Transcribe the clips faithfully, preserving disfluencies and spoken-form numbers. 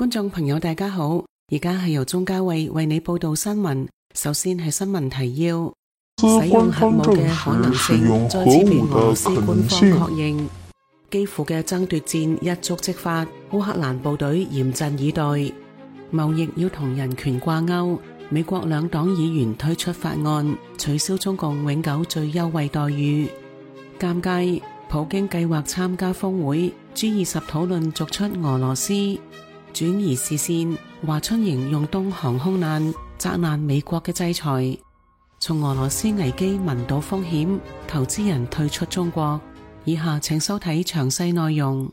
觀眾朋友大家好，而家係由鍾嘉慧為你報道新聞。首先係新聞提要：使用核武嘅可能性再次被俄羅斯官方確認。基輔嘅爭奪戰一觸即發，烏克蘭部隊嚴陣以待。貿易要同人權掛鈎，美國兩黨議員推出法案，取消中共永久最優惠待遇。尷尬，普京計劃參加峰會 G 二十討論逐出俄羅斯。轉移視線，華春瑩用東航空難責難美國嘅制裁。從俄羅斯危機聞到風險，投資人退出中國。以下請收睇詳細內容。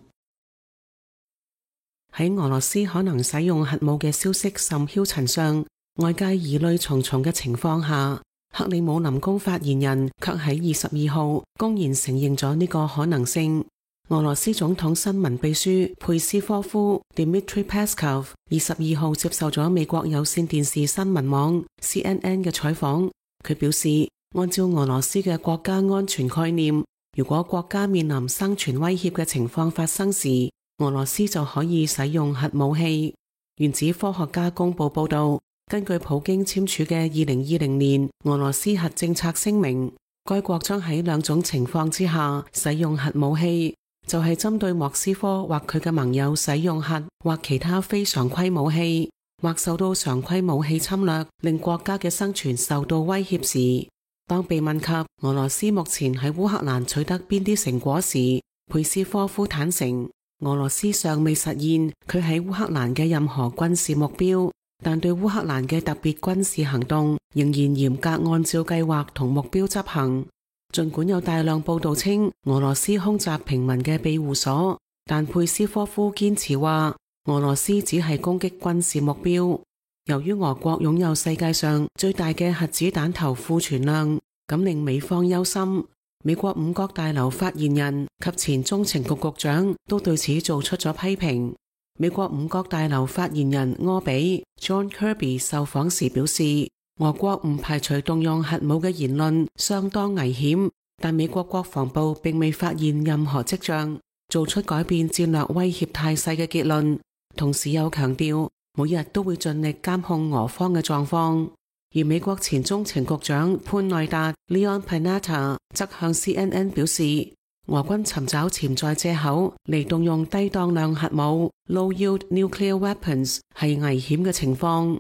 喺俄羅斯可能使用核武嘅消息甚囂塵上，外界疑慮重重嘅情況下，克里姆林宮發言人卻喺二十二號公然承認咗呢個可能性。俄羅斯總統新聞秘書佩斯科夫 Dmitry Peskov 二十二號接受咗美國有線電視新聞網 C N N 嘅採訪，佢表示，按照俄羅斯嘅國家安全概念，如果國家面臨生存威脅嘅情況發生時，俄羅斯就可以使用核武器。原子科學家公佈報道，根據普京簽署嘅二零二零年俄羅斯核政策聲明，該國將喺兩種情況之下使用核武器。就係針對莫斯科或佢嘅盟友使用核或其他非常規武器，或受到常規武器侵略，令國家嘅生存受到威脅時。當被問及俄羅斯目前喺烏克蘭取得邊啲成果時，佩斯科夫坦承，俄羅斯尚未實現佢喺烏克蘭嘅任何軍事目標，但對烏克蘭嘅特別軍事行動仍然嚴格按照計劃同目標執行。儘管有大量報道稱俄羅斯空襲平民嘅庇護所，但佩斯科夫堅持話俄羅斯只係攻擊軍事目標。由於俄國擁有世界上最大嘅核子彈頭庫存量，咁令美方憂心。美國五角大樓發言人及前中情局局長都對此做出咗批評。美國五角大樓發言人柯比 John Kirby 受訪時表示，俄國唔排除動用核武嘅言論相當危險，但美國國防部並未發現任何跡象做出改變戰略威脅態勢嘅結論，同時又強調每日都會盡力監控俄方嘅狀況。而美國前中情局長潘內達 Leon Panetta 則向 C N N 表示，俄軍尋找潛在借口嚟動用低當量核武 Low-yield nuclear weapons 係危險嘅情況。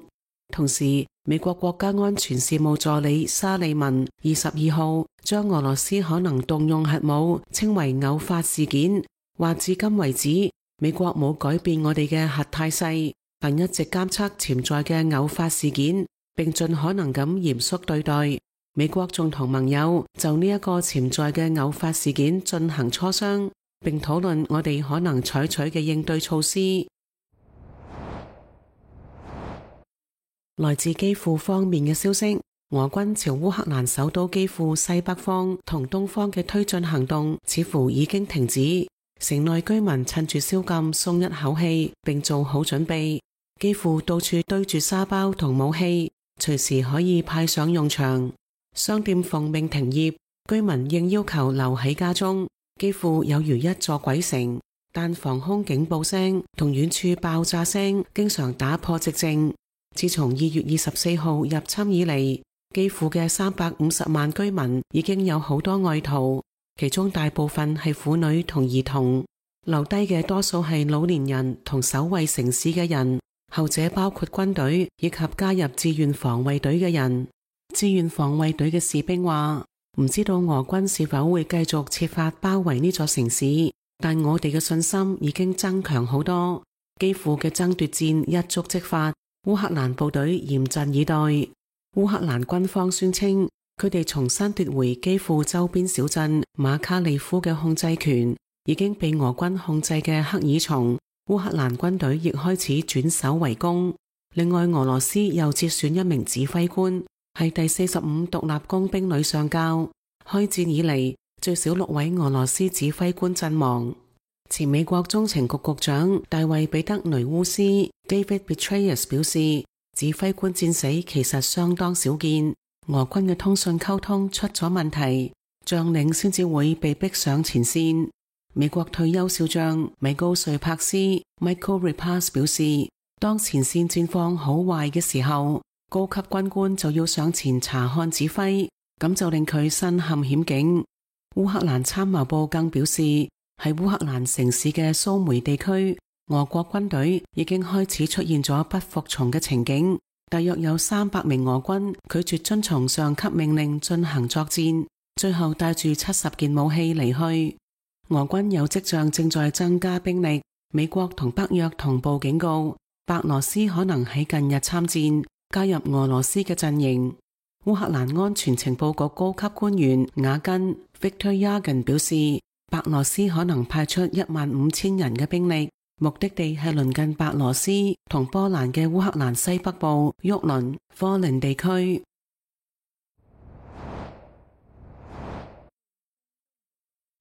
同時，美國國家安全事務助理沙利文二十二號將俄羅斯可能動用核武稱為偶發事件，話至今為止，美國冇改變我哋嘅核態勢，但一直監測潛在嘅偶發事件，並盡可能咁嚴肅對待。美國仲同盟友就呢一個潛在嘅偶發事件進行磋商，並討論我哋可能採取嘅應對措施。來自基輔方面嘅消息，俄軍朝烏克蘭首都基輔西北方同東方嘅推進行動似乎已經停止，城內居民趁住宵禁鬆一口氣，並做好準備。基輔到處堆住沙包同武器，隨時可以派上用場。商店奉命停業，居民應要求留喺家中。基輔有如一座鬼城，但防空警報聲同遠處爆炸聲經常打破寂靜。自從二月二十四號入侵以嚟，基輔嘅三百五十萬居民已經有好多外逃，其中大部分係婦女同兒童，留低嘅多數係老年人同守衛城市嘅人，後者包括軍隊以及加入志願防衛隊嘅人。志願防衛隊嘅士兵話，唔知道俄軍是否會繼續設法包圍呢座城市，但我哋嘅信心已經增強好多。基輔嘅爭奪戰一觸即發，烏克蘭部隊嚴陣以待。烏克蘭軍方宣稱，佢哋重新奪回基輔周邊小鎮馬卡利夫嘅控制權，已經被俄軍控制嘅赫爾松，烏克蘭軍隊亦開始轉守為攻。另外，俄羅斯又接選一名指揮官，係第四十五獨立工兵旅上校。開戰以嚟，最少六位俄羅斯指揮官陣亡。前美國中情局局長大衛彼得雷烏斯 David Petraeus 表示，指揮官戰死其實相當少見，俄軍嘅通訊溝通出咗問題，將領先至會被逼上前線。美國退休少將米高瑞柏斯 Michael Repass 表示，當前線戰況好壞嘅時候，高級軍官就要上前查看指揮，咁就令佢身陷險境。烏克蘭參謀部更表示，喺烏克蘭城市嘅蘇梅地區，俄國軍隊已經開始出現咗不服從嘅情景，大約有三百名俄軍拒絕遵從上級命令進行作戰，最後帶住七十件武器離去。俄軍有跡象正在增加兵力，美國同北約同步警告，白羅斯可能喺近日參戰，加入俄羅斯嘅陣營。烏克蘭安全情報局高級官員雅根 Victor Yagin 表示，白羅斯可能派出一萬五千人嘅兵力，目的地係鄰近白羅斯同波蘭嘅烏克蘭西北部沃倫科林地區。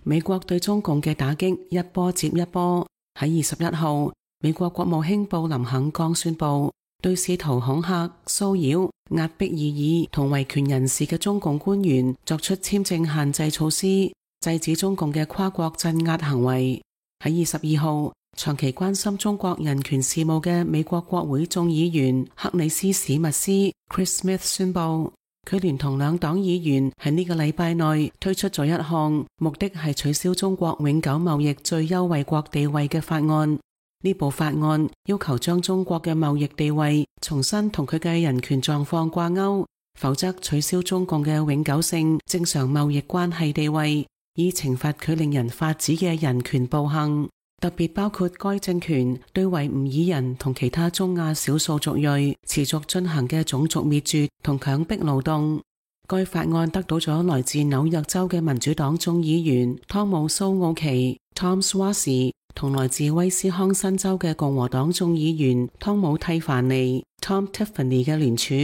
美國對中共嘅打擊一波接一波。喺二十一號，美國國務卿布林肯剛宣布，對試圖恐嚇、騷擾、壓迫異議同維權人士嘅中共官員作出簽證限制措施，制止中共嘅跨國鎮壓行為。喺二十二號，長期關心中國人權事務嘅美國國會眾議員克里斯史密斯 Chris Smith 宣布，佢聯同兩黨議員喺呢個禮拜內推出咗一項目的係取消中國永久貿易最優惠國地位嘅法案。呢部法案要求將中國嘅貿易地位重新同佢嘅人權狀況掛鈎，否則取消中共嘅永久性正常貿易關係地位，以懲罰佢令人髮指嘅人權暴行，特別包括該政權對維吾爾人同其他中亞少數族裔持續進行嘅種族滅絕同強迫勞動。該法案得到咗來自紐約州嘅民主黨眾議員湯姆蘇奧奇 Tom Suozzi 同來自威斯康辛州嘅共和黨眾議員湯姆蒂凡尼 Tom Tiffany 嘅聯署。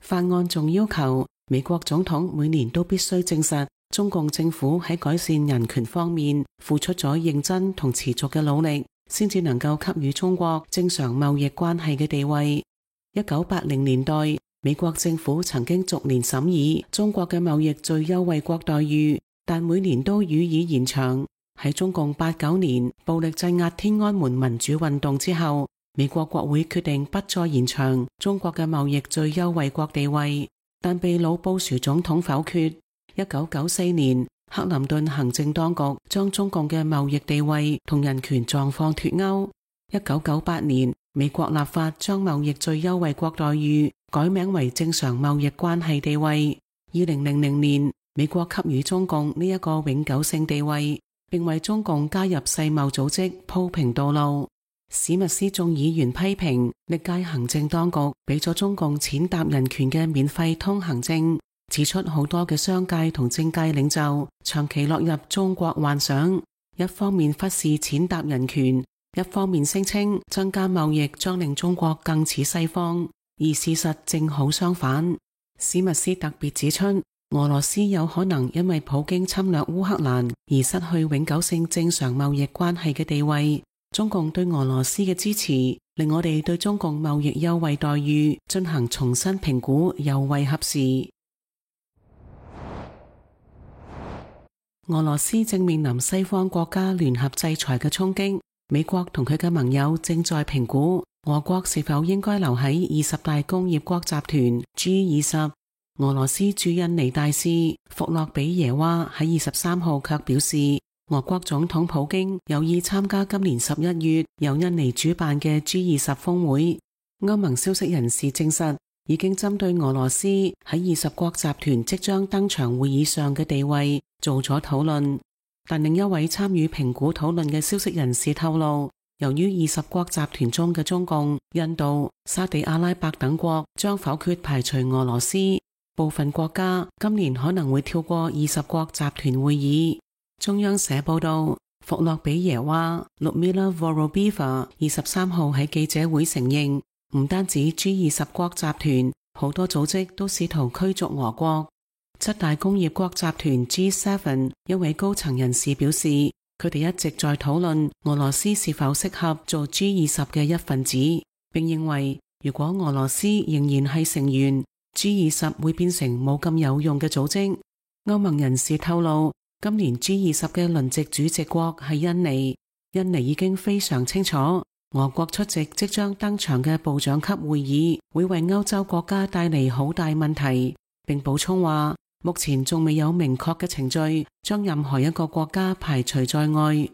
法案仲要求美國總統每年都必須證實中共政府喺改善人權方面付出咗認真同持續嘅努力，先至能夠給予中國正常貿易關係嘅地位。一九八零年代，美國政府曾經逐年審議中國嘅貿易最優惠國待遇，但每年都予以延長。喺中共八九年暴力鎮壓天安門民主運動之後，美國國會決定不再延長中國嘅貿易最優惠國地位，但被老布殊總統否決。一九九四年，克林頓行政當局將中共嘅貿易地位同人權狀況脫鈎。一九九八年，美國立法將貿易最優惠國待遇改名為正常貿易關係地位。二零零零年，美國給予中共呢一個永久性地位，並為中共加入世貿組織鋪平道路。史密斯眾議員批評歷屆行政當局俾咗中共踐踏人權嘅免費通行證，指出好多嘅商界同政界領袖長期落入中國幻想，一方面忽視踐踏人權，一方面聲稱增加貿易將令中國更似西方，而事實正好相反。史密斯特別指出，俄羅斯有可能因為普京侵略烏克蘭而失去永久性正常貿易關係嘅地位。中共對俄羅斯嘅支持令我哋對中共貿易優惠待遇進行重新評估尤為合時。俄羅斯正面臨西方國家聯合制裁嘅衝擊，美國同佢嘅盟友正在評估俄國是否應該留喺二十大工業國集團 G 二十。俄羅斯駐印尼大使弗洛比耶娃喺二十三號卻表示，俄國總統普京有意參加今年十一月由印尼主辦嘅 G 二十峰會。歐盟消息人士證實，已經針對俄羅斯喺二十國集團即將登場會議上嘅地位做咗討論。但另一位參與評估討論嘅消息人士透露，由於二十國集團中嘅中共、印度、沙地阿拉伯等國將否決排除俄羅斯，部分國家今年可能會跳過二十國集團會議。中央社報道，弗洛比耶娃 Ludmila Vorobieva 二十三號喺記者會承認，唔單止 G 二十國集團，好多組織都試圖驅逐俄國。七大工業國集團 G 七 一位高層人士表示，佢哋一直在討論俄羅斯是否適合做 G 二十嘅一份子，並認為如果俄羅斯仍然係成員，G 二十會變成冇咁有用嘅組織。歐盟人士透露，今年 G 二十嘅輪值主席國係印尼，印尼已經非常清楚俄國出席即將登場嘅部長級會議，會為歐洲國家帶嚟好大問題，並補充話，目前仲未有明確嘅程序將任何一個國家排除在外。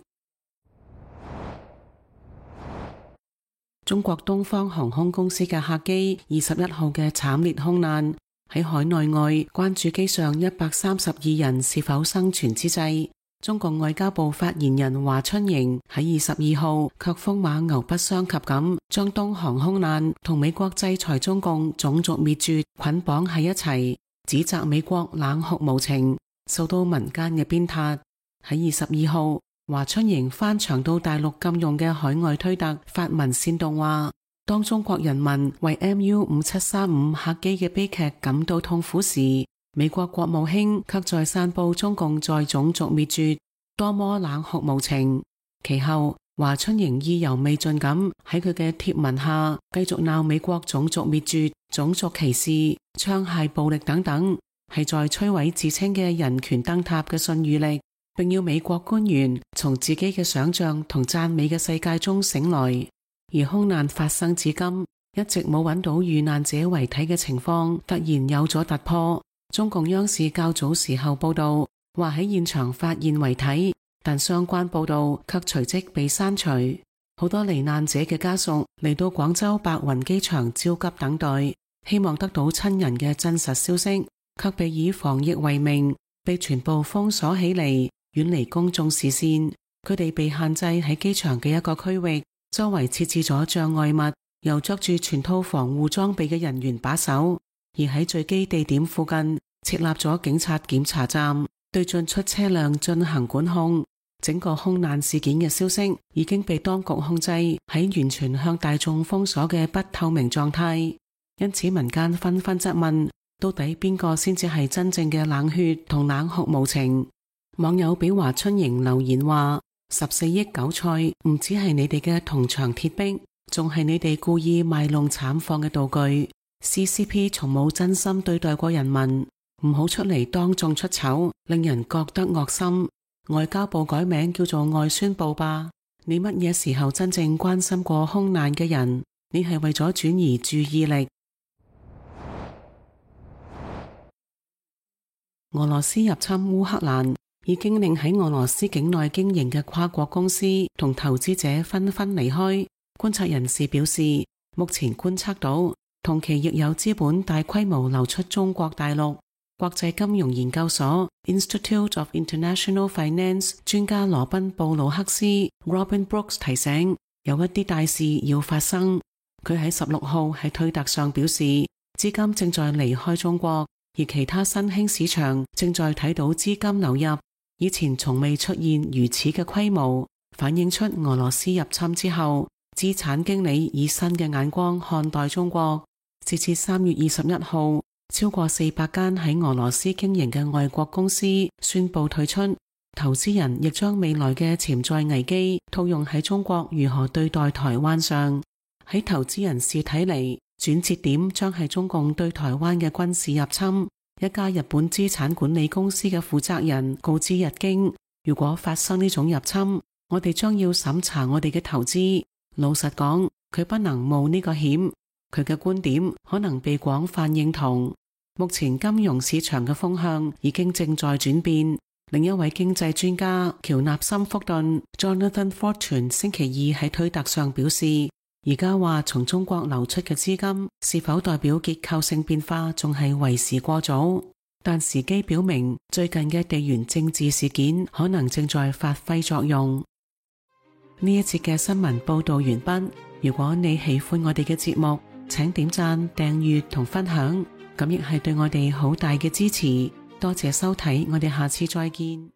中國東方航空公司嘅客機二十一號嘅慘烈空難，喺海內外關注機上一百三十二人是否生存之際，中國外交部發言人華春瑩喺二十二號卻風馬牛不相及咁，將東航空難同美國制裁中共種族滅絕捆綁喺一齊，指責美國冷酷無情，受到民間嘅鞭撻。喺二十二號，華春瑩翻牆到大陸禁用嘅海外推特發文煽動話，當中國人民為 M U 五七三五客機嘅悲劇感到痛苦時，美國國務卿卻在散布中共在種族滅絕，多麼冷酷無情。其後，華春瑩意猶未盡咁喺佢嘅貼文下繼續鬧美國種族滅絕、種族歧視、槍械暴力等等，係在摧毀自稱嘅人權燈塔嘅信譽力，並要美國官員從自己嘅想象同讚美嘅世界中醒來。而空難發生至今，一直冇揾到遇難者遺體嘅情況突然有咗突破。中共央視較早時候報道話喺現場發現遺體，但相關報道卻隨即被刪除。好多罹難者嘅家屬嚟到廣州白雲機場焦急等待，希望得到親人嘅真實消息，卻被以防疫為名，被全部封鎖起嚟，遠離公眾視線。佢哋被限制喺機場嘅一個區域，周圍設置咗障礙物，由着住全套防護裝備嘅人員把守。而喺墜機地點附近設立咗警察檢查站，對進出車輛進行管控。整個空難事件嘅消息已經被當局控制喺完全向大眾封鎖嘅不透明狀態，因此民間紛紛質問，到底邊個先至係真正嘅冷血同冷酷無情？網友俾華春瑩留言話，十四億韭菜唔只係你哋嘅銅牆鐵壁，仲係你哋故意賣弄慘況嘅道具。C C P 從冇真心對待過人民，唔好出嚟當眾出醜，令人覺得惡心。外交部改名叫做外宣部吧，你乜嘢時候真正關心過空難嘅人？你係為咗轉移注意力。俄羅斯入侵烏克蘭，已經令喺俄羅斯境內經營嘅跨國公司同投資者紛紛離開。觀察人士表示，目前觀測到同期亦有資本大規模流出中國大陸。國際金融研究所 Institute of International Finance 專家羅賓布魯克斯 Robin Brooks 提醒，有一啲大事要發生。佢喺十六號喺推特上表示，資金正在離開中國，而其他新興市場正在睇到資金流入，以前從未出現如此嘅規模，反映出俄羅斯入侵之後，資產經理以新嘅眼光看待中國。截至三月二十一號，超過四百間喺俄羅斯經營嘅外國公司宣布退出，投資人亦將未來嘅潛在危機套用喺中國如何對待台灣上。喺投資人士睇嚟，轉折點將係中共對台灣嘅軍事入侵。一家日本資產管理公司嘅負責人告知日經，如果發生呢種入侵，我哋將要審查我哋嘅投資。老實講，佢不能冒呢個險。佢嘅觀點可能被廣泛認同。目前金融市場嘅風向已經正在轉變。另一位經濟專家喬納森福頓 Jonathan Fortune 星期二喺推特上表示，而家話從中國流出嘅資金是否代表結構性變化，仲係為時過早。但時機表明，最近嘅地緣政治事件可能正在發揮作用。呢一節嘅新聞報道完畢。如果你喜歡我哋嘅節目，請點讚、訂閱同分享，咁亦係對我哋好大嘅支持。多謝收睇，我哋下次再見。